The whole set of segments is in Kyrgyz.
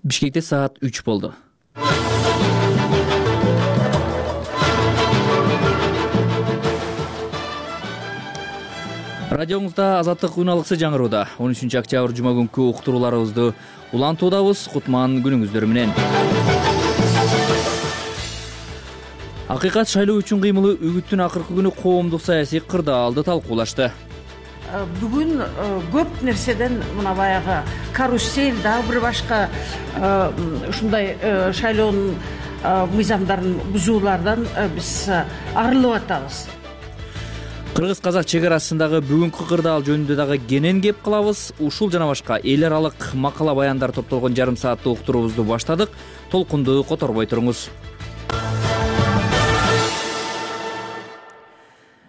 Бишкекте саат 3 болду. Радиоңузда Азаттык уналыксы жаңырууда. 13 октябрь жума күнкү уктурууларыбызды улантуудабыз. Кутман күнүңүздөр менен. Акыйкат шайлоо үчүн кыймылы үгүттүн акыркы күнү коомдук саясий кырдаалды талкуулашты. Бүгүн көп нерседен мына баягы карусель дагы бир башка ушундай шайлоонун мыйзамдарын бузуулардан биз арылып атабыз. Кыргыз-казак чек арасындагы бүгүнкү кырдаал жөнүндө дагы кенен кеп калабыз. Ушул жана башка эл аралык макала баяндар топтолгон жарым сааттык уктуруубузду баштадык. Толкунду которбой туруңуз.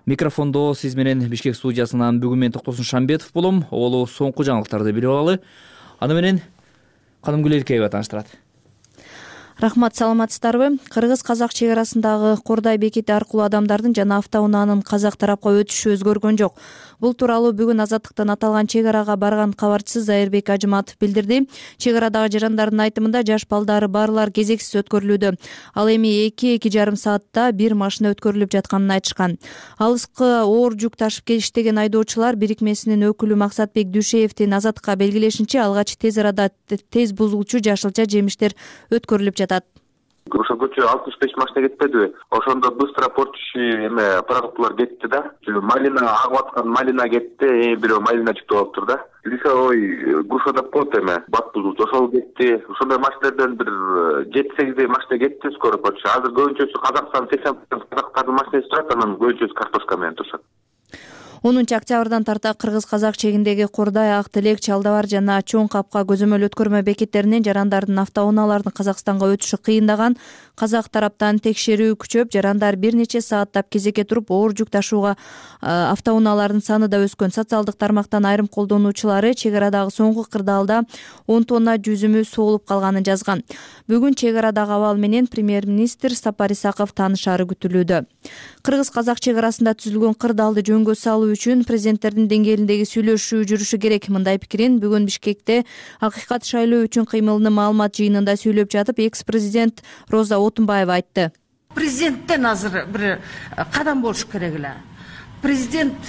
Микрофондо сиз менен Бишкек студиясынан бүгүн мен Токтосун Шамбетов болом. Олу соңку жаңылыктарды билип алалы. Аны менен Кадымгүл Эркеева тааныштырат. Рахмат, саламатсыздарбы? Кыргыз-казак чек арасындагы Кордай бекети аркылуу адамдардын жана автоунаанын казак тарапка өтүшү өзгөргөн жок. Бул тууралуу бүгүн Азаттыктан аталган чек арага барган кабарчысы Зайырбек Ажыматов билдирди. Чек арадагы жарандардын айтымында жаш балдары барлар кезексиз өткөрүлүүдө. Ал эми 2-2,5 саатта бир машина өткөрүлүп жатканын айтышкан. Алыскы оор жүк ташып иштеген айдоочулар бирикмесинин өкүлү Максатбек Дүйшеевдин Азаттыкка белгилешинче алгач тез арада тез бузулчу жашылча жемиштер өткөрүлүп жатат. Ошол көчө 65 машина кетпедиби? Ошондо быстро портчу продуктылар кетти да. Малина агып аткан малина кетти, бирөө малина чыктып алыптыр да. Лисовой груша деп коет бат бузулчу ошол кетти. Ошондой машиналерден бир 7-8 машина кетти скоро портчу. Азыр көбүнчөсү Казакстан 80% казактардын машинасы турат, анан көбүнчөсү картошка менен турушат. 10 октябрдан тарта кыргыз-казак чегиндеги Кордай, Ак Телек, Чалдабар жана Чоң Капка көзөмөл өткөрмө бекеттеринен жарандардын автоунаалардын Казакстанга өтүшү кыйындаган. Казак тараптан текшерүү күчөп, жарандар бир нече сааттап кезекке туруп оор жүк ташууга автоунаалардын саны да өскөн. Социалдык тармактан айрым колдонуучулары чек арадагы соңку кырдаалда 10 тонна жүзүмү соолуп калганын жазган. Бүгүн чек арадагы абал менен премьер-министр Сапар Исаков таанышары күтүлүүдө. Кыргыз-казак чек арасында түзүлгөн кырдаалды жөнгө салуу үчүн президенттердин деңгээлиндеги сүйлөшүү жүрүшү керек. Мындай пикирин бүгүн Бишкекте Акыйкат шайлоо үчүн кыймылынын маалымат жыйынында сүйлөп жатып, экс-президент Роза Отунбаева айтты. Президенттен азыр бир кадам болуш керек эле. Президент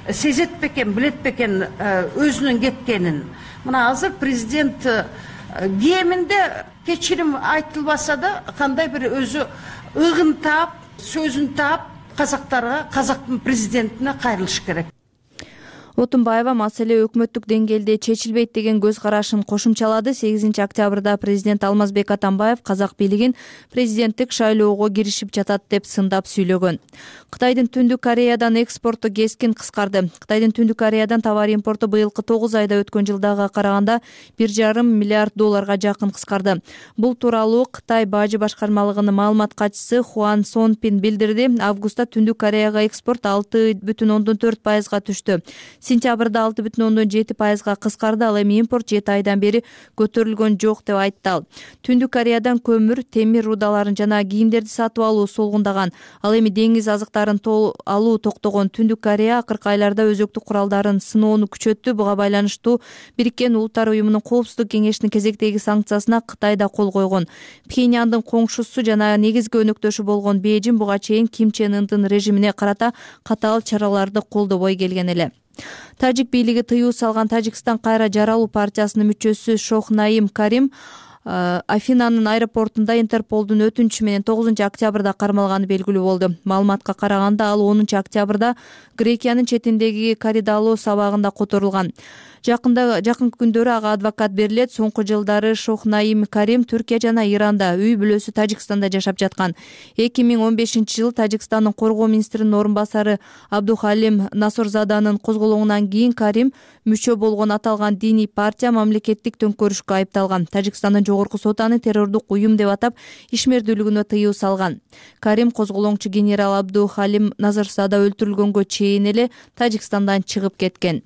сезет бекен, билет бекен өзүнүн кеткенин. Мына азыр президент кеминде кечирим айтылбаса да, кандай бир өзү ыгын таап, сөзүн таап, казактарга, казактын президентине кайрылыш керек. Отунбаева маселе өкмөттүк деңгээлде чечилбейт деген көз карашын кошумчалады. 8 октябрда президент Алмазбек Атамбаев казак бийлигин президенттик шайлоого киришип жатат деп сындап сүйлөгөн. Кытайдын Түндүк Кореядан экспорту кескин кыскарды. Кытайдын Түндүк Кореядан товар импорту быйылкы 9 айда өткөн жылдага караганда 1,5 миллиард долларга жакын кыскарды. Бул тууралуу Кытай бажы башкармалыгынын маалымат катчысы Хуан Сонпин билдирди. Августта Түндүк Кореяга экспорт 6,4%га түштү. Сентябрда 6,7%га кыскарды. Ал эми импорт 7 айдан бери көтөрүлгөн жок деп айтты ал. Түндүк Кореядан көмүр, темир рудаларын жана кийимдерди сатып алуу солгундаган. Ал эми деңиз азыктарын алуу токтогон. Түндүк Корея акыркы айларда өзөктүк куралдарын сыноону күчөттү. Буга байланыштуу Бириккен Улуттар уюмунун Коопсуздук кеңешинин кезектеги санкциясына Кытай да кол койгон. Пхеньяндын коңшусу жана негизги өнөктөшү болгон Бейжин буга чейин Ким Чен Ындын режимине карата катаал чараларды колдобой келген эле. Тажик бийлиги тыюу салган Тажикстан кайра жаралуу партиясынын мүчөсү Шохнаим Карим Афинанын аэропортунда Интерполдун өтүнүчү менен 9 октябрда кармалганы белгилүү болду. Маалыматка караганда ал 10 октябрда Грекиянын четиндеги Коридалло сабагында которулган. Жакын күндөрү ага адвокат берилет. Соңку жылдары Шохнаим Карим Түркия жана Иранда, үй бүлөсү Тажикстанда жашап жаткан. 2015-жылы Тажикстандын коргоо министринин орун басары Абдухалим Насорзаданын козголоңунан кийин Карим мүчө болгон аталган диний партия мамлекеттик төңкөрүшкө айыпталган. Тажикстандын жогорку соту аны террордук уюм деп атап, ишмердүүлүгүнө тыюу салган. Карим козголоңчу генерал Абдухалим Насорзада өлтүрүлгөнгө чейин эле Тажикстандан чыгып кеткен.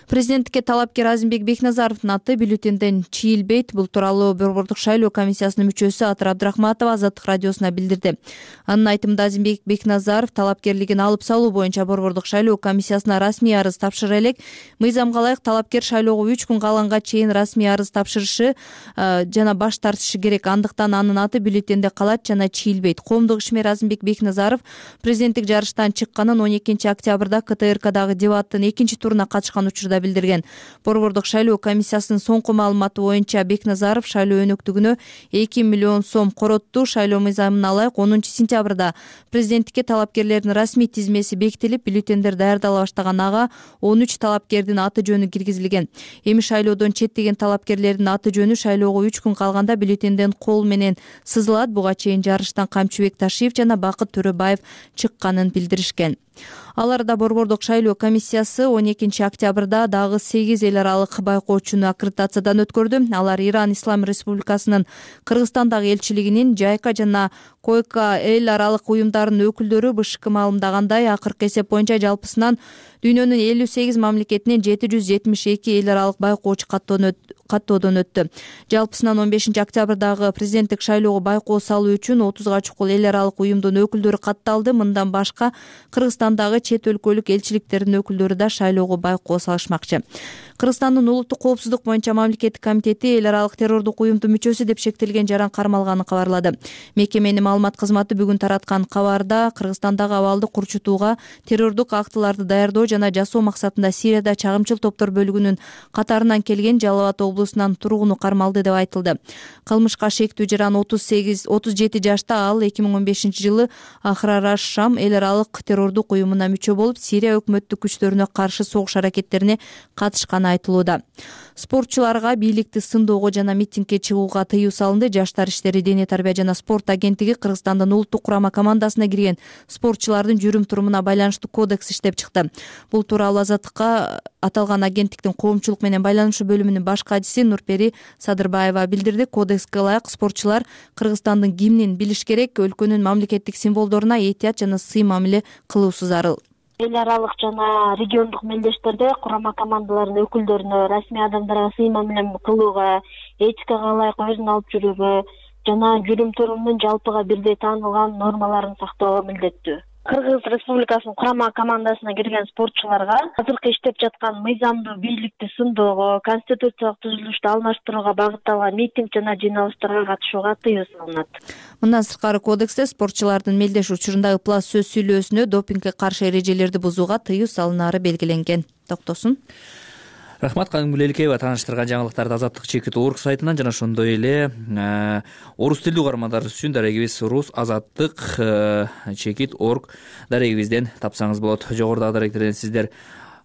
Президенттикке талапкер Азимбек Бекназаровдун аты бюллетенден чийилбейт. Бул тууралуу Борбордук шайлоо комиссиясынын мүчөсү Атыр Абдрахматова Азаттык радиосуна билдирди. Анын айтымында Азимбек Бекназаров талапкерлигин алып салуу боюнча Борбордук шайлоо комиссиясына расмий арыз тапшыра элек. Мыйзамга ылайык талапкер шайлоого 3 күн калганга чейин расмий арыз тапшырышы жана баш тартышы керек. Андыктан анын аты бюллетенде калат жана чийилбейт. Коомдук ишмер Азимбек Бекназаров президенттик жарыштан чыкканын 12 октябрда КТРКдагы дебаттын 2-туруна катышкан учурда билдирген. Борбордук шайлоо комиссиясынын соңку маалыматы боюнча Бекназаров шайлоо өнөктүгүнө 2 миллион сом коротту. Шайлоо мыйзамына ылайык 10-сентябрда президенттикке талапкерлердин расмий тизмеси бекитилип, бюллетендер даярдала баштаган. Ага 13 талапкердин аты жөнү киргизилген. Эми шайлоодон четтеген талапкерлердин аты жөнү шайлоого 3 күн калганда бюллетенден кол менен сызылат. Буга чейин жарыштан Камчыбек Ташиев жана Бакыт Төрөбаев чыкканын билдиришкен. Аларда Борбордук шайлоо комиссиясы 12 октябрда дагы 8 эл аралык байкоочуну аккредитациядан өткөрдү. Алар Иран Ислам Республикасынын Кыргызстандагы элчилигинин, Жайка жана Койка эл аралык уюмдарынын өкүлдөрү. БШК маалымдагандай, акыркы эсеп боюнча жалпысынан дүйнөнүн 58 мамлекетинен 772 эл аралык байкоочу каттоодон өттү. Жалпысынан 15 октябрдагы президенттик шайлоого байкоо салуу үчүн 30га чукул эл аралык уюмдун өкүлдөрү катталды. Мындан башка Кыргызстандагы чет өлкөлүк элчиликтердин өкүлдөрү да шайлоого байкоо салышмакчы. Кыргызстандын улуттук коопсуздук боюнча мамлекеттик комитети эл аралык террордук уюмдун мүчөсү деп шектелген жаран кармалганын кабарлады. Мекеменин маалымат кызматы бүгүн тараткан кабарда Кыргызстандагы абалды курчутууга, террордук актыларды даярдоо жана жасоо максатында Сирияда чагымчыл топтор бөлүгүнүн катарынан келген Жалал Абад облусунан тургуну кармалды деп айтылды. Кылмышка шектүү жаран 37 жашта. Ал 2015 жылы Ахрар Шам эл аралык террордук уюмуна мүчө болуп, Сирия өкмөттүк күчтөрүнө каршы согуш аракеттерине катышканы айтылууда. Спортчуларга бийликти сындоого жана митингге чыгууга тыюу салынды. Жаштар иштери, дене тарбия жана спорт агенттиги Кыргызстандын улуттук курама командасына кирген спортчулардын жүрүм-турумуна байланыштуу кодекс иштеп чыкты. Бул тууралуу Азаттыкка аталган агенттиктин коомчулук менен байланышуу бөлүмүнүн баш кадиси Нурпери Садырбаева билдирди. Кодекске ылайык спортчулар Кыргызстандын гимнин билиш керек, өлкөнүн мамлекеттик символдоруна этият жана сый мамиле кылуусу зарыл. Эл аралык жана региондук мелдештерде курама командалардын өкүлдөрүнө, расмий адамдарга сый мамиле кылууга, этикага ылайык өзүн алып жүрүүгө жана жүрүм-турумунун жалпыга бирдей таанылган нормаларын сактоого милдеттүү. Кыргыз Республикасынын курама командасына кирген спортчуларга азыркы иштеп жаткан мыйзамдуу бийликти сындоого, конституциялык түзүлүштү алмаштырууга багытталган митинг жана жыйналыштарга катышууга тыюу салынат. Мындан сырткары кодексте спортчулардын мелдеш учурунда ыплас сөз сүйлөөсүнө, допингге каршы эрежелерди бузууга тыюу салынары белгиленген. Токтосун. Рахмат, Кадимгүл Эликеева тааныштырган жаңылыктарды Азаттык Чекит.org сайтынан жана ошондой эле орус тилдүү угармандарыбыз үчүн дарегибиз Рус Азаттык Чекит.org дарегибизден тапсаңыз болот. Жогорудагы даректерден сиздер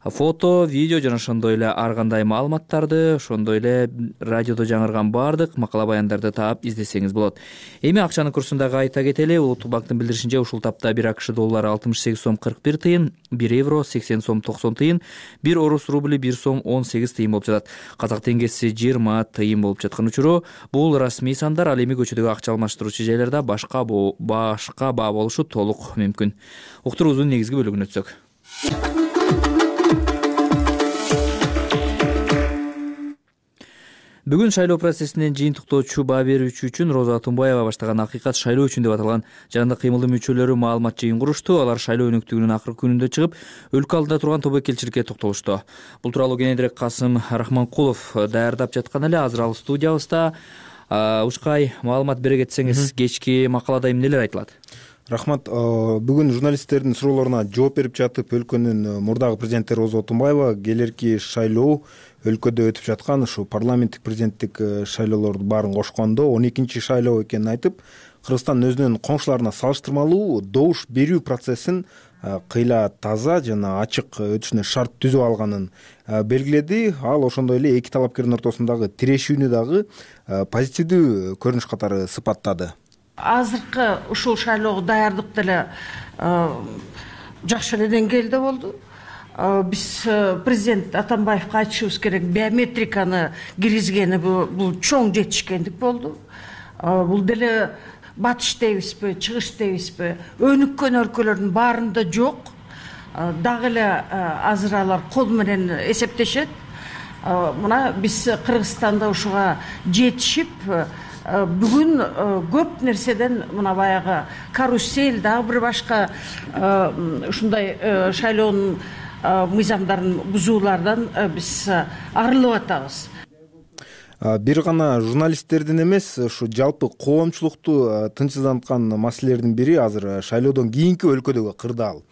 фото, видео жана ошондой эле ар кандай маалыматтарды, ошондой эле радиодо жаңырган баардык макала баяндарды таап издесеңиз болот. Эми акчанын курсундагы айта кетели. Улуттук банктын билдиришинче, ушул тапта 1 АКШ доллары 68 сом 41 тыйын, 1 евро 80 сом 90 тыйын, 1 орус рубли 1 сом 18 тыйын болуп жатат. Казак теңгеси 20 тыйын болуп жаткан учуру. Бул расмий сандар. Ал эми көчөдөгү акча алмаштыруучу жайларда башка баа болушу толук мүмкүн. Уктуруубуздун негизги бөлүгүнө өтсөк. Бүгүн шайлоо процессинен жыйынтыктоочу баа берүүчү үчүн Роза Атунбаева баштаган Акыйкат шайлоо үчүн деп аталган жандык кыймылдын мүчөлөрү маалымат жыйын курушту. Алар шайлоо өнөктүгүнүн акыркы күнүндө чыгып, өлкө алдында турган тобокелчиликке токтолушту. Бул тууралуу кененирээк Касым Рахманкулов даярдап жаткан эле. Азыр ал студиябызда. Ушкай маалымат бере кетсеңиз, кечки макалада эмнелер айтылат? Рахмат. Бүгүн журналисттердин суроолоруна жооп берип жатып, өлкөнүн мурдагы президенти Роза Атунбаева келерки шайлоо өлкөдө өтүп жаткан ушу парламенттик президенттик шайлоолордун баарын кошкондо 12 шайлоо экенин айтып, Кыргызстан өзүнүн коңшуларына салыштырмалуу добуш берүү процессин кыйла таза жана ачык өтүшүнө шарт түзүп алганын белгиледи. Ал ошондой эле эки талапкердин ортосундагы тирешүүнү дагы позитивдүү көрүнүш катары сыпаттады. Азыркы ушул шайлоого даярдык деле жакшы эле деңгээлде болду. Биз президент Атамбаевга айтышыбыз керек, биометриканы киргизгени бул чоң жетишкендик болду. Бул деле батыш дейбизби, чыгыш дейбизби, өнүккөн өлкөлөрдүн баарында жок. дагы эле азыр алар кол менен эсептешет. Мына биз Кыргызстанда ушуга жетишип бүгүн көп нерседен мына баягы карусель дагы бир башка ушундай шайлоонун мыйзамдарын бузуулардан биз арылып атабыз. Бир гана журналисттердин эмес, ушу жалпы коомчулукту тынчсызданткан маселелердин бири азыр шайлоодон кийинки өлкөдөгү кырдаал.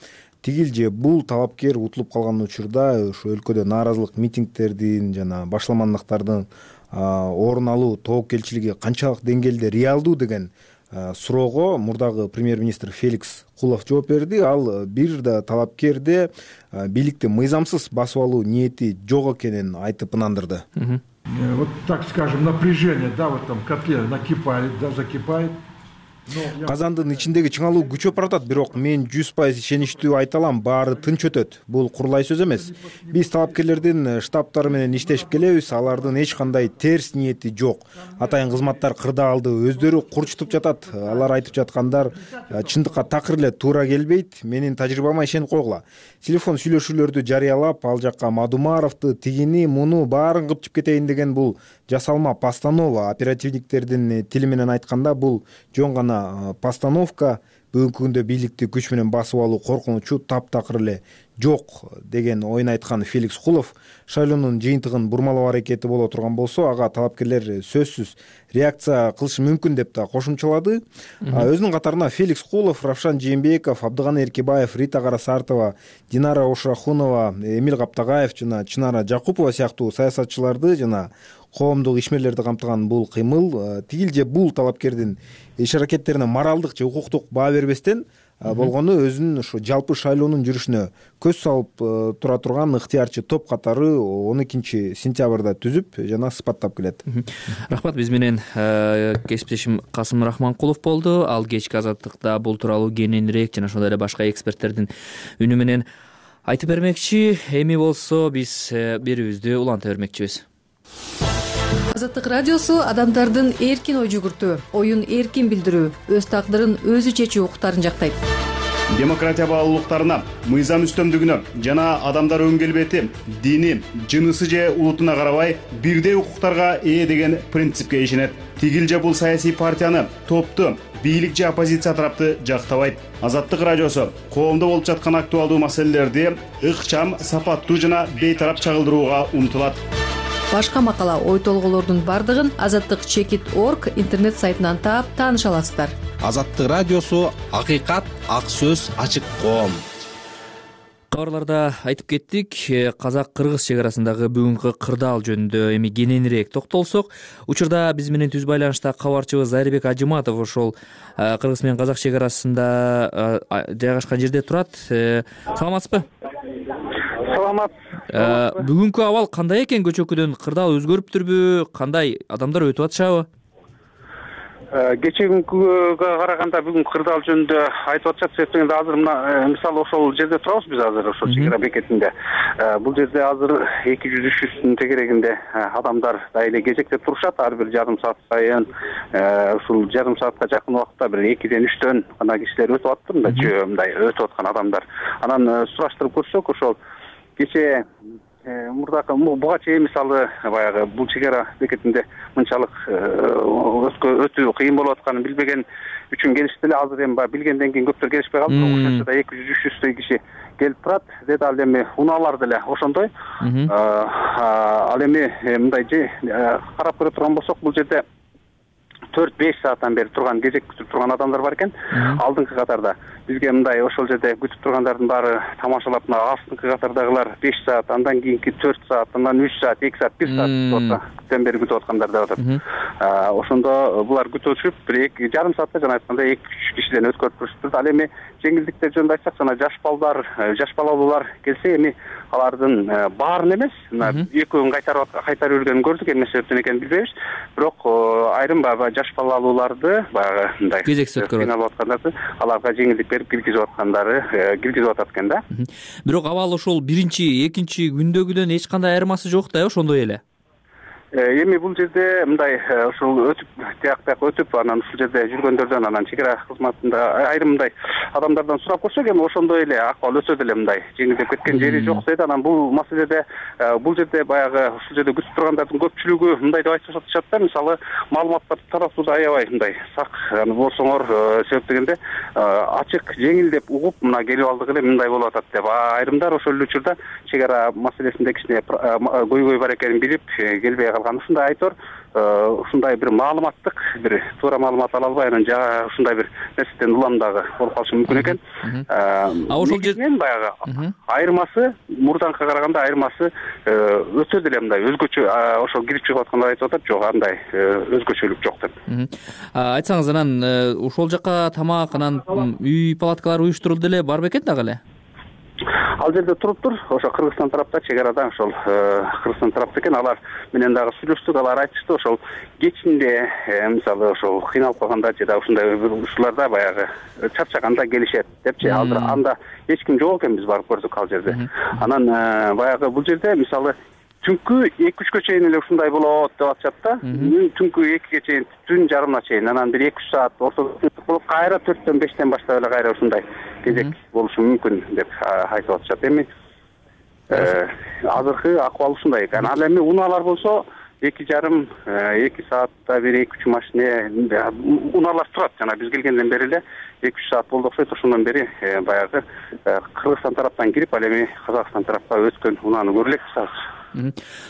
Тигил же бул талапкер утулуп калган учурда ушу өлкөдө нааразылык митингдердин жана башламандыктардын орун алуу тобокелчилиги канчалык деңгээлде реалдуу деген суроого мурдагы премьер-министр Феликс Кулов жооп берди. Ал бир да талапкерде бийликти мыйзамсыз басып алуу ниети жок экенин айтып ынандырды. Вот так скажем, напряжение, да, в этом котле накипает, да, закипает. Казандын ичиндеги чыңалуу күчөп баратат, бирок мен 100% ишеничтүү айта алам, баары тынч өтөт. Бул курулай сөз эмес. Биз талапкерлердин штабтары менен иштешип келебиз, алардын эч кандай терс ниети жок. Атайын кызматтар кырдаалды өздөрү курчутуп жатат. Алар айтып жаткандар чындыкка такыр эле туура келбейт. Менин тажрыйбама ишенип койгула. Телефон сүйлөшүүлөрдү жарыялап, ал жакка Мадумаровду, тигини, муну баарын кыпчып кетейин деген бул жасалма постанова. Оперативниктердин тили менен айтканда бул жөн гана постановка. Бүгүнкү күндө бийликти күч менен басып алуу коркунучу таптакыр эле жок деген оюн айткан Феликс Кулов шайлоонун жыйынтыгын бурмалоо аракети боло турган болсо, ага талапкерлер сөзсүз реакция кылышы мүмкүн деп да кошумчалады. Өзүнүн катарына Феликс Кулов, Равшан Жээнбеков, Абдыганы Эркебаев, Рита Карасартова, Динара Ошрахунова, Эмил Каптагаев жана Чынара Жакупова сыяктуу саясатчыларды жана коомдук ишмерлерди камтыган бул кыймыл тигил же бул талапкердин иш аракеттерине моралдык же укуктук баа бербестен болгону өзүнүн ушу жалпы шайлоонун жүрүшүнө көз салып тура турган ыктыярчы топ катары 12 сентябрда түзүп жана сыпаттап келет. Рахмат. Биз менен кесиптешим Касым Рахманкулов болду. Ал кечки азаттыкта бул тууралуу кененирээк жана ошондой эле башка эксперттердин үнү менен айтып бермекчи. Эми болсо биз берүүбүздү уланта бермекчибиз. Азаттык радиосу адамдардын эркин ой жүгүртүү, оюн эркин билдирүү, өз тагдырын өзү чечүү укуктарын жактайт. Демократия баалуулуктарына, мыйзам үстөмдүгүнө жана адамдар өң келбети, дини, жынысы же улутуна карабай бирдей укуктарга ээ деген принципке ишенет. Тигил же бул саясий партияны, топту, бийлик же оппозиция тарапты жактабайт. Азаттык радиосу коомдо болуп жаткан актуалдуу маселелерди ыкчам, сапаттуу жана бейтарап чагылдырууга умтулат. Башка макала, ой толголордун бардыгын azattik.org интернет сайтынан таап тааныша аласыздар. Азаттык радиосу акыйкат, ак сөз, ачык коом. Кабарларда айтып кеттик, казак-кыргыз чек арасындагы бүгүнкү кырдаал жөнүндө эми кененирээк токтолсок, учурда биз менен түз байланышта кабарчыбыз Зайырбек Ажыматов ошол кыргыз менен казак чек арасында жайгашкан жерде турат. Саламатсызбы? Саламат. Бүгүнкү абал кандай экен? Көчөкүдөн кырдаал өзгөрүптүрбү? Кандай адамдар өтүп атышабы? Кечеүнкүгө караганда бүгүн кырдаал жөнүндө айтып атышат. Себеби азыр мына мисалы ошол жерде турабыз биз азыр ошол чек ара бекетинде. Бул жерде азыр 200-300 тегерегинде адамдар да эле кезектеп турушат. Ар бир жарым саат сайын ушул жарым саатка жакын убакытта бир 2ден 3төн гана кишилер өтүп атты. Мындай өтүп аткан адамдар. Анан сураштырып көрсөк, ошол кечээ мурдакы буга чейин мисалы баягы бул чек ара бекетинде мынчалык өтүү кыйын болуп атканын билбеген үчүн келишти эле. Азыр эми билгенден кийин көптөр келишпей калды. Ошончо 200-300 киши келип турат. Деди ал эми унаалар деле ошондой. Ал эми мындай карап көрө турган болсок, бул жерде 4-5 сааттан бери турган, кезек күтүп турган адамдар бар экен. Алдыңкы катарда бизге мындай ошол жерде күтүп тургандардын баары тамашалап, мына астыңкы катардагылар 5 саат, андан кийинки 4 саат, андан 3 саат, 2 саат, 1 сааттан бери күтүп аткандар деп атат. Ошондо булар күтүшүп, бир 2 жарым саатта жана айткандай 2-3 кишиден өткөрүп көрүштү. Ал эми жеңилдиктер жөнүндө айтсак, жана жаш балдар, жаш балалуулар келсе, эми алардын баарын эмес, мына экөөнүн кайтарып жүргөнүн көрдүк. Эмне себептен экенин билбейбиз. Бирок айрым жаш балалууларды баягы мындай кезексиз өткөрүп аткандарды аларга жеңилдик берип киргизип киргизип атат экен да. Бирок абал ошол биринчи, экинчи күндөгүдөн эч кандай айырмасы жок да, ошондой эле. Эми бул жерде мындай ушул өтүп тияк өтүп анан ушул жерде жүргөндөрдөн анан чек ара кызматында айрым мындай адамдардан сурап көрсөк эми ошондой эле акыбал өтө деле мындай жеңилдеп кеткен жери жок дейт. Анан бул маселеде бул жерде баягы ушул жерде күтүп тургандардын көпчүлүгү мындай деп айтып жатышат да, мисалы маалыматтарды таратууда аябай мындай сак болсоңор, себеп дегенде ачык жеңил деп угуп мына келип алдык эле мындай болуп атат деп. Айрымдар ошол эле учурда чек ара маселесинде кичине көйгөй бар экенин билип келбей ушундай айтор, ушундай бир маалыматтык бир туура маалымат ала албай анан ушундай бир нерседен уламдагы болуп калышы мүмкүн экен. Ошол жерден баягы айырмасы мурданкыга караганда айырмасы өтө деле мындай өзгөчө, ошол кирип чыгып аткандар айтып атат, жок андай өзгөчөлүк жок деп. Айтсаңыз, анан ошол жака тамак, анан үй палаткалары уюштурулду эле, бар бекен дагы эле? Ал жерде туруптур, ошо Кыргызстан тарапта чек арада ошол Кыргызстан тарапта экен, алар менен дагы сүйлөштүк, алар айтышты ошол кечинде мисалы ошол кыйналып калганда же да ушундай ушуларда баягы чарчаганда келишет депчи. Анда эч ким жок экен, биз барып көрдүк ал жерде. Анан баягы бул жерде мисалы түнкү 2-3 чейин эле ушундай болот деп атышат да. Түнкү 2 чейин, түн жарымына чейин, анан бир 2-3 саат ортодо болуп, кайра 4-5 баштап эле кайра ушундай кезек болушу мүмкүн деп айтып атышат. Эми азыркы акыбал ушундай экен. Ал эми унаалар болсо 2,5-2 саатта бир 2-3 машина унаалар турат. Жана биз келгенден бери эле 2-3 саат болду окшойт. Ошондон бери баягы Кыргызстан тараптан кирип, ал эми Казакстан тарапка өткөн унааны көрө элекпиз азыр.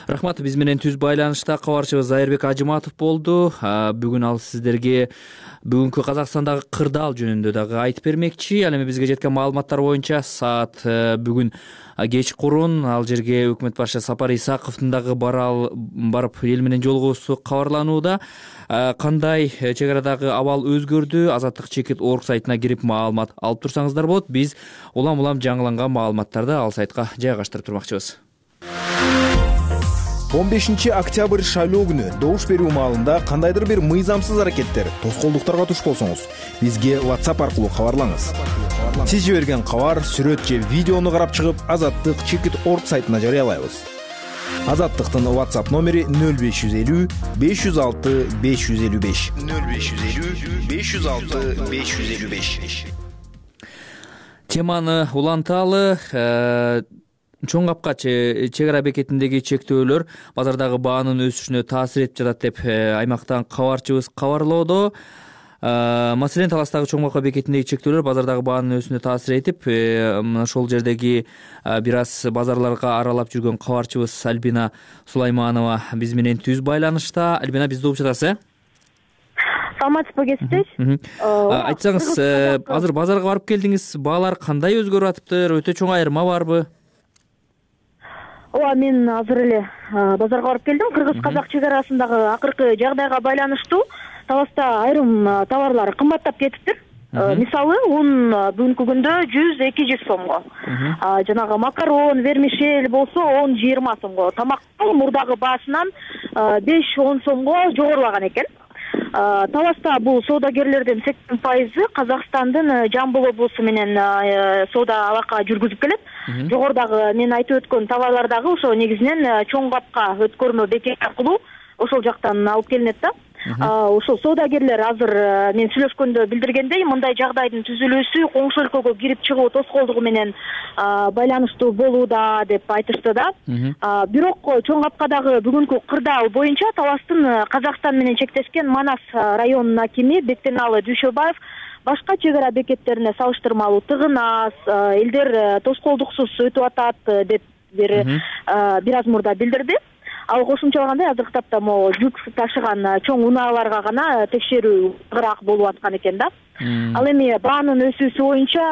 Рахмат. Биз менен түз байланышта кабарчыбыз Зайырбек Ажыматов болду. Бүгүн ал сиздерге бүгүнкү Казакстандагы кырдаал жөнүндө дагы айтып бермекчи. Ал эми бизге жеткен маалыматтар боюнча саат бүгүн кечкурун ал жерге өкмөт башчысы Сапар Исаковдун дагы барып эл менен жолугуусу кабарланууда. Кандай чек арадагы абал өзгөрдү? Азаттык чекит орг сайтына кирип маалымат алып турсаңыздар болот. Биз улам жаңыланган маалыматтарды ал сайтка жайгаштырып турмакчыбыз. 15 октябрь шайлоо күнү добуш берүү маалында кандайдыр бир мыйзамсыз аракеттер, тоскоолдуктарга туш болсоңуз, бизге WhatsApp аркылуу кабарлаңыз. Сиз жиберген кабар, сүрөт же видеону карап чыгып, Азаттык чекит орг сайтына жарыялайбыз. Азаттыктын WhatsApp номери 0550 506 555. 0550 506 555. Теманы уланталы. Чоң капка чек ара бекетиндеги чектөөлөр базардагы баанын өсүшүнө таасир этип жатат деп аймактан кабарчыбыз кабарлоодо. Маселен, Таластагы чоң капка бекетиндеги чектөөлөр базардагы баанын өсүшүнө таасир этип, ошол жердеги бир аз базарларга аралап жүргөн кабарчыбыз Альбина Сулайманова биз менен түз байланышта. Альбина, бизди угуп жатасыз? Саламатсызбы, кесиптеш? Айтсаңыз, азыр базарга барып келдиңиз, баалар кандай өзгөрүп атыптыр? Өтө чоң айырма барбы? Ооба, мен азыр эле базарга барып келдим. Кыргыз-казак чек арасындагы акыркы жагдайга байланыштуу Таласта айрым товарлар кымбаттап кетиптир. Мисалы, un бүгүнкү күндө 100-200 сомго. Жанагы макарон, вермишель болсо 10-20 сомго. Тамактын мурдагы баасынан 5-10 сомго жогорулаган экен. Таласта бул соодагерлердин 80% Казакстандын Жамбыл облусу менен соода алака жүргүзүп келет. Жогорудагы мен айтып өткөн товарлар дагы ошо негизинен чоң капка өткөрмө бекети аркылуу ошол жактан алып келинет да. Ошол соодагерлер азыр мен сүйлөшкөндө билдиргендей, мындай жагдайдын түзүлүүсү коңшу өлкөгө кирип чыгуу тоскоолдугу менен байланыштуу болууда деп айтышты да. Бирок чоң капкадагы бүгүнкү кырдаал боюнча Таластын Казакстан менен чектешкен Манас районунун акими Бектеналы Дүйшөбаев башка чек ара бекеттерине салыштырмалуу тыгынас, элдер тоскоолдуксуз өтүп атат деп бир аз мурда билдирди. Ал кошумчалагандай, азыркы тапта могу жүк ташыган чоң унааларга гана текшерүү ырак болуп аткан экен да. Ал эми баанын өсүүсү боюнча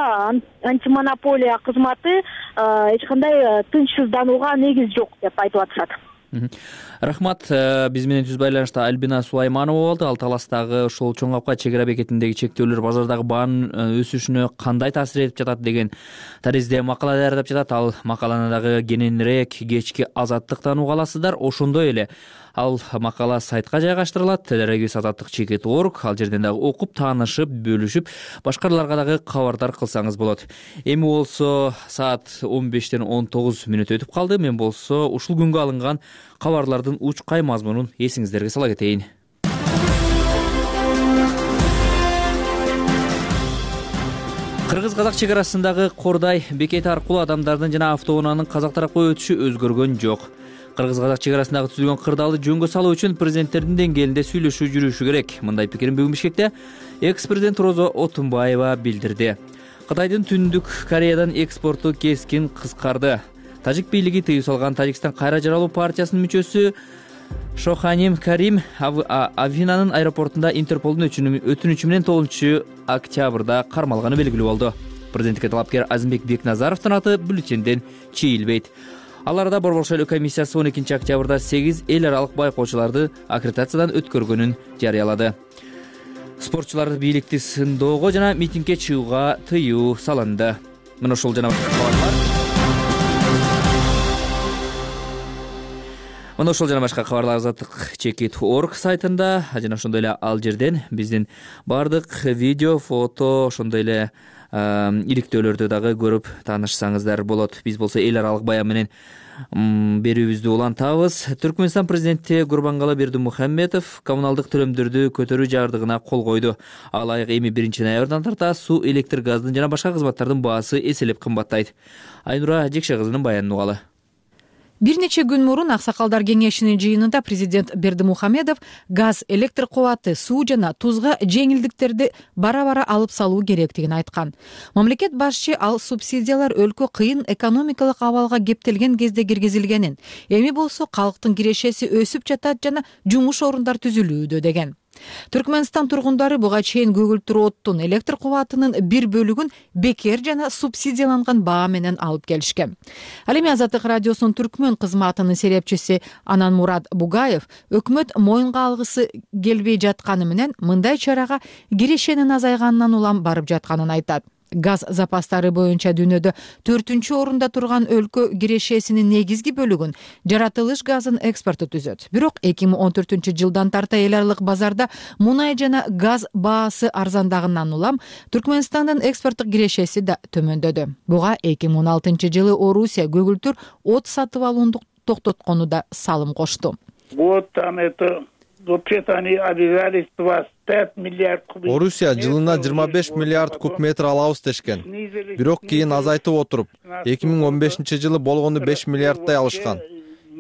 антимонополия кызматы эч кандай тынчсызданууга негиз жок деп айтып атышат. Рахмат. Биз менен түз байланышта Альбина Сулайманова болду. Ал Таластагы ошол чоң капка чек ара бекетиндеги чектөөлөр базардагы баанын өсүшүнө кандай таасир этип жатат деген таризде макала даярдап жатат. Ал макаланы дагы кененирээк кечки Азаттыктан уга аласыздар. Ошондой эле ал макала сайтка жайгаштырылат. Телерегиз Азаттык чекит орг. Ал жерден дагы окуп, таанышып, бөлүшүп, башкаларга дагы кабардар кылсаңыз болот. Эми болсо саат 15-19 мүнөт өтүп калды. Мен болсо ушул күнгө алынган Кабарлардын учкай мазмунун эсиңиздерге сала кетейин. Кыргыз-казак чек арасындагы Кордай бекети аркылуу адамдардын жана автоунаанын казак тарапка өтүшү өзгөргөн жок. Кыргыз-казак чек арасындагы түзүлгөн кырдаалды жөнгө салуу үчүн президенттердин деңгээлинде сүйлөшүү жүрүшү керек. Мындай пикирин бүгүн Бишкекте экс-президент Розо Отунбаева билдирди. Кытайдын Түндүк Кореядан экспорту кескин кыскарды. Тажик бийлиги тыюу салган Тажикстан кайра жаралуу партиясынын мүчөсү Шоханим Карим Афинанын аэропортунда Интерполдун өтүнүчү менен 9-октябрда кармалганы белгилүү болду. Президенттикке талапкер Азимбек Бекназаровдун аты бюллетенден чийилбейт. Ал арада Борбор шайлоо комиссиясы 12-октябрда 8 эл аралык байкоочуларды аккредитациядан өткөргөнүн жарыялады. Спортчулар бийликти сындоого жана митингге чыгууга тыюу салынды. Мына ушул жана башка кабарлар Азаттык Чекит.org сайтында жана ошондой эле ал жерден биздин бардык видео, фото, ошондой эле иликтөөлөрдү дагы көрүп таанышсаңыздар болот. Биз болсо эл аралык баян менен берүүбүздү улантабыз. Түркмөнстан президенти Гурбангалы Бердимухамедов коммуналдык төлөмдөрдү көтөрүү жардыгына кол койду. Ал айык эми 1-ноябрдан тарта суу, электр, газдын жана башка кызматтардын баасы эселеп кымбаттайт. Айнура Жекше кызынын баянын угалы. Бир нече күн мурун Аксакалдар кеңешинин жыйынында президент Бердимухамедов газ, электр кубаты, суу жана тузга жеңилдиктерди бара-бара алып салуу керектигин айткан. Мамлекет башчы ал субсидиялар өлкө кыйын экономикалык абалга кептелген кезде киргизилгенин, эми болсо калктын кирешеси өсүп жатат жана жумуш орундар түзүлүүдө деген. Түркмөнстан тургундары буга чейин көгүлтүр оттун, электр кубатынын бир бөлүгүн бекер жана субсидияланган баа менен алып келишкен. Ал эми Азаттык радиосунун түркмөн кызматынын серепчиси Ананмурат Бугаев өкмөт моюнга алгысы келбей жатканы менен мындай чарага кирешенин азайганынан улам барып жатканын айтат. Газ запастары боюнча дүйнөдө 4-орунда турган өлкө кирешесинин негизги бөлүгүн жаратылыш газын экспорту түзөт. Бирок 2014-жылдан тарта эл аралык базарда мунай жана газ баасы арзандагынан улам Түркмөнстандын экспорттук кирешеси да төмөндөдү. Буга 2016-жылы Орусия көгүлтүр от сатып алууну токтоткону да салым кошту. Орусия жылына 25 миллиард куб метр алабыз дешкен. Бирок кийин азайтып отуруп, 2015-жылы болгону 5 миллиарддай алышкан.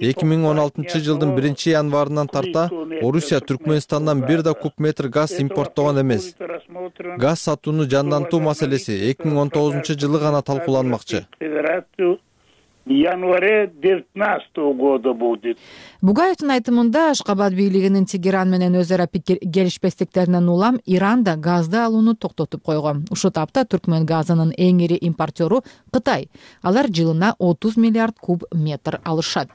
2016-жылдын 1-январынан тарта Орусия Түркмөнстандан бир да куб метр газ импорттогон эмес. Газ сатууну жандантуу маселеси 2019-жылы гана талкууланмакчы. Январе 19 года будет. Бугаевдин айтымында Ашкабад бийлигинин Тегеран менен өз ара пикир келишпестиктеринен улам Иран да газды алууну токтотуп койгон. Ушул тапта Түркмөн газынын эң ири импортеру Кытай. Алар жылына 30 миллиард куб метр алышат.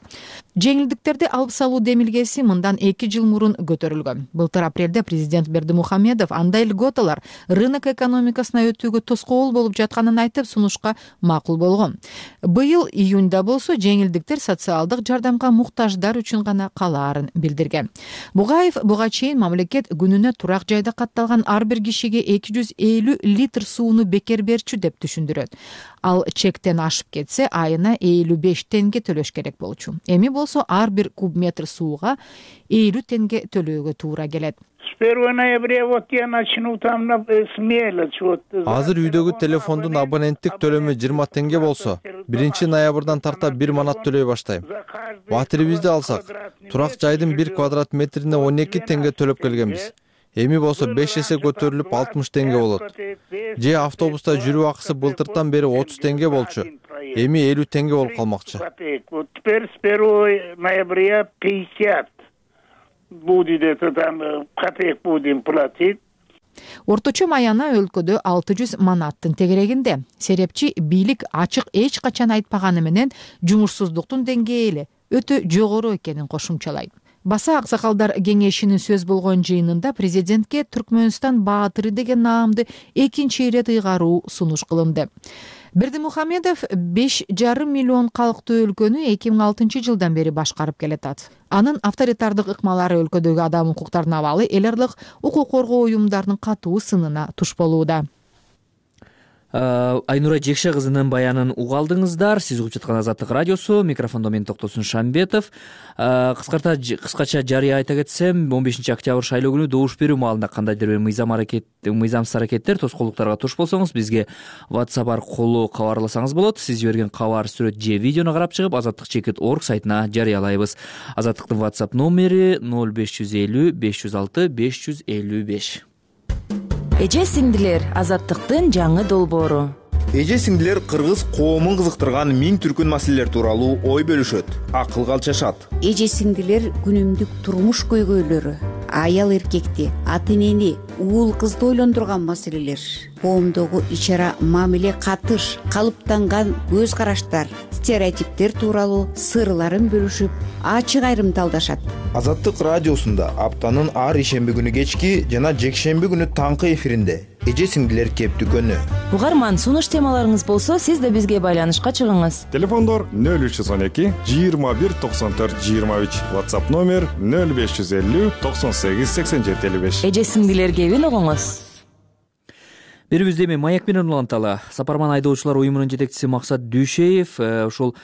Жеңилдиктерди алып салуу демилгеси мындан 2 жыл мурун көтөрүлгөн. Былтыр апрелде президент Бердимухамедов андай льготалар рынок экономикасына өтүүгө тоскоол болуп жатканын айтып, сунушка макул болгон. Быйыл июнда болсо жеңилдиктер социалдык жардамга муктаждар үчүн гана калаарын билдирген. Бугаев буга чейин мамлекет күнүнө турак жайда катталган ар бир кишиге 250 литр сууну бекер берчү деп түшүндүрөт. Ал чектен ашып кетсе, айына 55 тенге төлөш керек болчу. Эми болсо ар бир куб метр сууга 50 тенге төлөөгө туура келет. Азыр үйдөгү телефондун абоненттик төлөмү 20 тенге болсо, 1-ноябрдан тарта 1 манат төлөй баштайм. Батирибизди алсак, турак жайдын 1 квадрат метрине 12 тенге төлөп келгенбиз. Эми болсо 5 эсе көтөрүлүп 60 тенге болот. Же автобуста жүрүү акысы былтыртан бери 30 тенге болчу. Эми 50 тенге болуп калмакчы. Теперь с 1 ноября 50 будет, это там копеек будем платить. Орточо маяна өлкөдө 600 манаттын тегерегинде. Серепчи бийлик ачык эч качан айтпаганы менен жумушсуздуктун деңгээли өтө жогору экенин кошумчалайт. Баса Аксакалдар кеңешинин сөз болгон жыйынында президентке Түркмөнстан баатыры деген наамды экинчи ирет ыйгаруу сунуш кылынды. Бердимухамедов 5,5 миллион калктуу өлкөнү 2006-жылдан бери башкарып келатат. Анын авторитардык ыкмалары өлкөдөгү адам укуктарына абалы эл аралык укук коргоо уюмдарынын катуу сынына туш болууда. Айнура Жекше кызынын баянын угуп алдыңыздар. Сиз угуп жаткан Азаттык радиосу. Микрофондо мен Токтосун Шамбетов. Кыскача жарыя айта кетсем, 15 октябрь шайлоо күнү добуш берүү маалында кандайдыр бир мыйзамсыз аракеттер, тоскоолдуктарга туш болсоңуз, бизге WhatsApp аркылуу кабарласаңыз болот. Сиз жиберген кабар, сүрөт же видеону карап чыгып, azattik.org сайтына жарыялайбыз. Азаттыктын WhatsApp номери 0550 506 555. Эже сиңдилер, Азаттыктын жаңы долбоору. Эже сиңдилер кыргыз коомун кызыктырган миң түркүн маселелер тууралуу ой бөлүшөт, акылга алчашат. Эже сиңдилер күнүмдүк турмуш көйгөйлөрү, аял эркекти, ата энени, уул кызды ойлондурган маселелер, коомдогу ич-ара мамиле, катыш, калыптанган көз караштар, стереотиптер тууралуу сырларын бөлүшүп, ачык айрымталдашат. Азаттык радиосунда аптанын ар ишемби күнү кечки жана жекшемби күнү таңкы эфиринде эже сиңдилер кептүкөнү. Угарман, сунуш темаларыңыз болсо, сиз да бизге байланышка чыгыңыз. Телефондор 0312 21 94 23, WhatsApp номер 0550 98 87 55. Эже сиңдилер кебин угуңуз. Берибизде эми Маек менен уланталы. Сапарман айдоочулар уюмунун жетекчиси Максат Дүйшеев ушул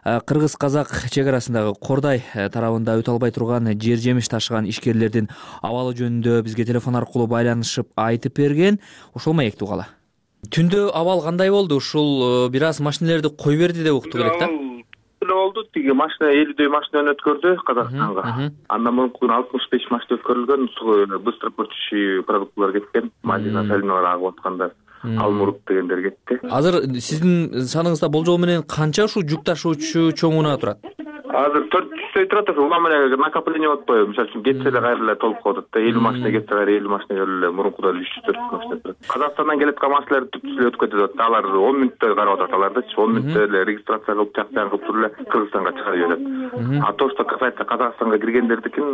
кыргыз-казак чек арасындагы Кордай тарабында өтө албай турган жер жемиш ташыган ишкерлердин абалы жөнүндө бизге телефон аркылуу байланышып айтып берген. Ошол Маекти угалы. Түндө абал кандай болду? Ушул бир аз машинелерди кой берди деп уктук элек да? Болду. Тиги машина 50дөй машина өткөрдү Казакстанга. Андан мурунку 65 машина өткөрүлгөн. Быстропортчий продуктлар кеткен. Малина, сальмалар агып аткандар. Алмурут дегендер кетти. Азыр сиздин саныңызда болжол менен канча ушул жүк ташуучу чоңуна турат? Азыр 400 турат. Улам эле накопление болуп атпайбы? Мисалы үчүн кетсе эле кайра эле толуп калат да. 50 машина кетсе кайра 50 машина келе мурункуда 300-400 машина турат. Казакстандан келет маселелер түпсүз эле өтүп кетет. Алар 10 мүнөттө карап атат алардычы. 10 мүнөттө эле регистрация кылып, жактан кылып туруп эле Кыргызстанга чыгарып берет. А то, что касается Казакстанга киргендердикин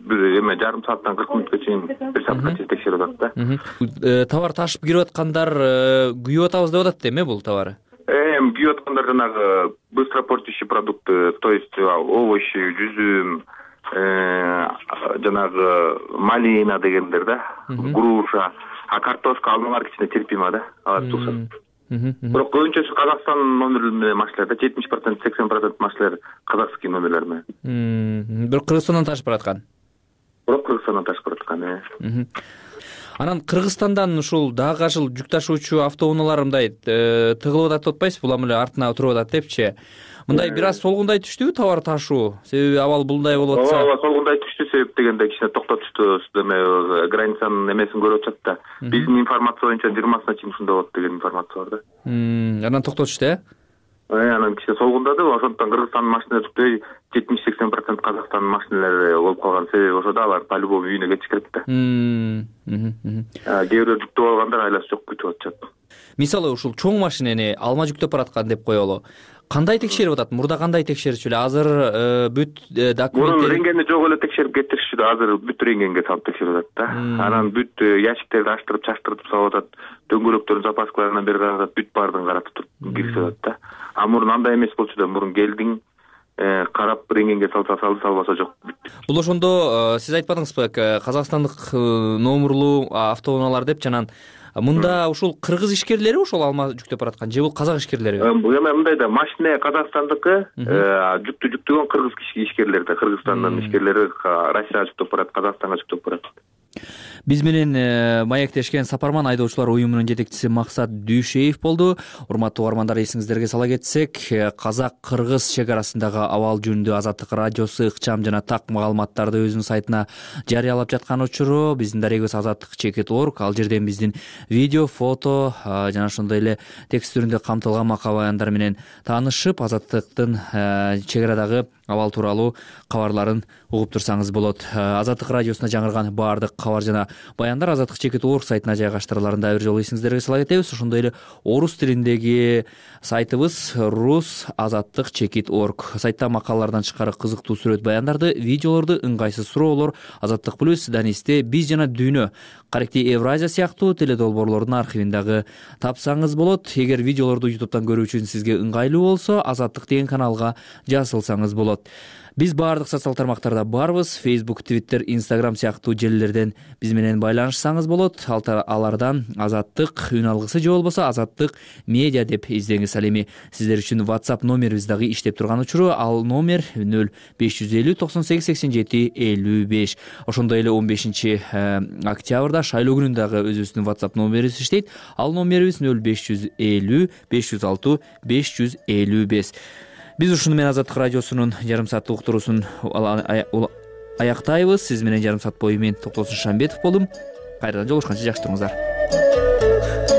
бир эме жарым сааттан 40 мүнөткө чейин, бир саатка чейин текшерип атат да. Товар ташып кирип аткандар күйүп атабыз деп атат эми бул товары? Күйүп аткандар жанагы быстропортящий продукты, то есть овощи, жүзүм, жанагы малина дегендер да, груша, а картошка алмалар кичине терпимо да, алар туксат. Бирок көбүнчөсү Казакстан номерлери менен машиналар да, 70%, 80% машиналар казакский номерлер менен. Бирок Кыргызстандан ташып бараткан. Бирок Кыргызстандан ташып бараткан. Анан Кыргызстандан ушул дагы ашыл жүк ташуучу автоунаалар мындай тыгылып атат деп атпайсызбы? Булам эле артына туруп атат депчи. Мындай бир аз солгундай түштүбү товар ташуу? Себеби абал булдай болуп атса. Ооба, солгундай түштү, себеп дегенде кичине токтотушту, эме границанын эмесин көрүп атышат да. Биздин информация боюнча 20-сына чейин ушундай болот деген информация бар да. Анан токтотушту, Анан кичине солгундады, ошондон Кыргызстандын машиналары түктөй 70-80% Казакстандын машиналары болуп калган. Себеби ошодо алар по-любому үйүнө кетиш керек да. Кээ бирөө жүктөп алгандар айласы жок күтүп атышат. Мисалы ушул чоң машинени алма жүктөп бараткан деп коелу. Кандай текшерип атат? Мурда кандай текшерчү эле? Азыр бүт документтер. Мурун рентгенди жок эле текшерип кетиришчү да, азыр бүт рентгенге салып текшерип атат да. Анан бүт ящиктерди аштырып, чаштырып салып атат. Дөңгөлөктөрдүн запаскаларынан бери карап, бүт баардыгын карап туруп киргизип атат да. А мурун андай эмес болчу да, мурун келдиң, карап рентгенге салса салды, салбаса жок. Бул ошондо сиз айтпадыңызбы, казакстандык номерлуу автоунаалар деп жанан мында ушул кыргыз ишкерлери ушул алма жүктөп бараткан же бул казак ишкерлери? Эме мындай да, машина казакстандыкы, жүктү жүктөгөн кыргыз ишкерлери да, Кыргызстандын ишкерлери Россияга жүктөп барат, Казакстанга жүктөп барат. Биз менен маектешкен Сапарман айдоочулар уюмунун жетекчиси Максат Дүйшеев болду. Урматтуу угармандар, эсиңиздерге сала кетсек, казак-кыргыз чек арасындагы абал жөнүндө Азаттык радиосу ыкчам жана так маалыматтарды өзүнүн сайтына жарыялап жаткан учуру биздин дарегибиз azattik.org. Ал жерден биздин видео, фото жана ошондой эле текст түрүндө камтылган макал баяндар менен таанышып, Азаттыктын чек арадагы абал тууралуу кабарларын угуп турсаңыз болот. Азаттык радиосуна жаңырган баардык кабар жана баяндар azattik.org сайтына жайгаштырыларын да бир жолу эсиңиздерге сала кетебиз. Ошондой эле орус тилиндеги сайтыбыз rus.azattik.org. Сайтта макалалардан тышкары кызыктуу сүрөт баяндарды, видеолорду, ыңгайсыз суроолор, Азаттык плюс, Данисте, биз жана дүйнө, Каректи Евразия сыяктуу теледолбоорлордун архивин дагы тапсаңыз болот. Эгер видеолорду YouTube'дан көрүү үчүн сизге ыңгайлуу болсо, Азаттык деген каналга жазылсаңыз болот. Биз баардык социал тармактарда барбыз. Facebook, Twitter, Instagram сыяктуу желилерден биз менен байланышсаңыз болот. Алардан Азаттык үн алгысы же болбосо Азаттык медиа деп издеңиз. Ал эми сиздер үчүн WhatsApp номерибиз дагы иштеп турган учуру. Ал номер 0550 98 87 55. Ошондой эле 15 октябрда шайлоо күнүндө дагы өзүбүздүн WhatsApp номерибиз иштейт. Ал номерибиз 0550 506 555. Биз ушуну менен Азаттык радиосунун жарым сааттык уктуруусун аяктайбыз. Сиз менен жарым саат бою мен Токтосун Шамбетов болдум. Кайрадан жолугушканча жакшы туруңуздар.